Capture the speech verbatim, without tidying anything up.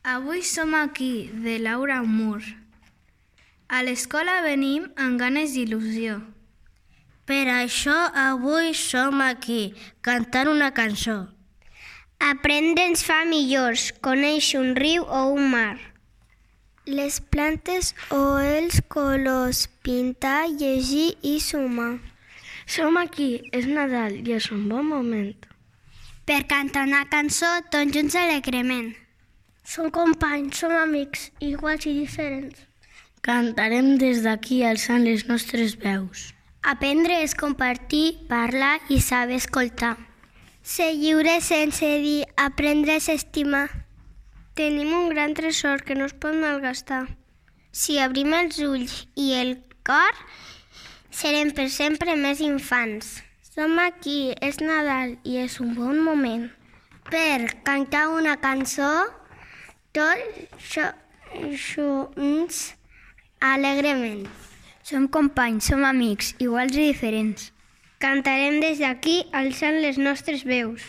Avui som aquí, de Laura Mur. A l'escola venim amb ganes d'il·lusió. Per això avui som aquí, cantant una cançó. Aprendre ens fa millors, conèixer un riu o un mar. Les plantes o els colors, pintar, llegir i sumar. Som aquí, és Nadal i és un bon moment. Per cantar una cançó tots junts alegrement. Som companys, som amics, iguals i diferents. Cantarem des d'aquí alçant les nostres veus. Aprendre és compartir, parlar i saber escoltar. Ser lliure sense dir, aprendre és estimar. Tenim un gran tresor que no es pot malgastar. Si obrim els ulls i el cor, serem per sempre més infants. Som aquí, és Nadal i és un bon moment. Per cantar una cançó, tots junts alegrement. Som companys, som amics, iguals i diferents. Cantarem des d'aquí alçant les nostres veus.